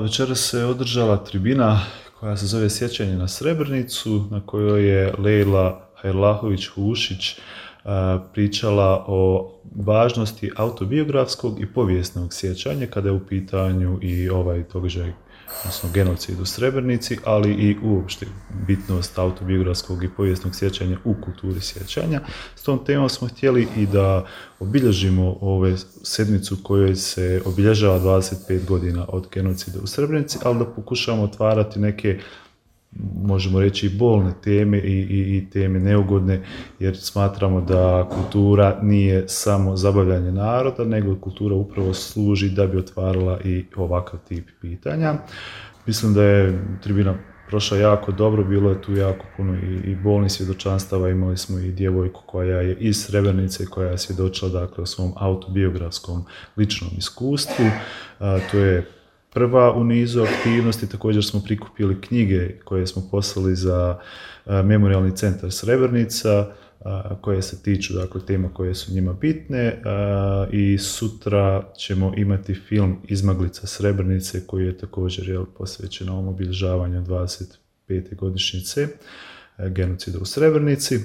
Večeras se održala tribina koja se zove Sjećanje na Srebrenicu, na kojoj je Lejla Hajrlahović-Hušić pričala o važnosti autobiografskog i povijesnog sjećanja kada je u pitanju i ovaj događaj, odnosno genocid u Srebrenici, ali i uopšte bitnost autobiografskog i povijesnog sjećanja u kulturi sjećanja. S tom temom smo htjeli i da obilježimo ove sedmicu kojoj se obilježava 25 godina od genocida u Srebrenici, ali da pokušamo otvarati neke, možemo reći, bolne teme i teme neugodne, jer smatramo da kultura nije samo zabavljanje naroda, nego kultura upravo služi da bi otvarala i ovakav tip pitanja. Mislim da je tribina prošla jako dobro, bilo je tu jako puno i bolnih svjedočanstava, imali smo i djevojku koja je iz Srebrenice, koja je svjedočila dakle o svom autobiografskom ličnom iskustvu. To je prva u nizu aktivnosti. Također smo prikupili knjige koje smo poslali za Memorijalni centar Srebrenica, koje se tiču dakle tema koje su njima bitne, i sutra ćemo imati film Izmaglica Srebrenice koji je također posvećen ovom obilježavanju 25. godišnjice genocida u Srebrenici.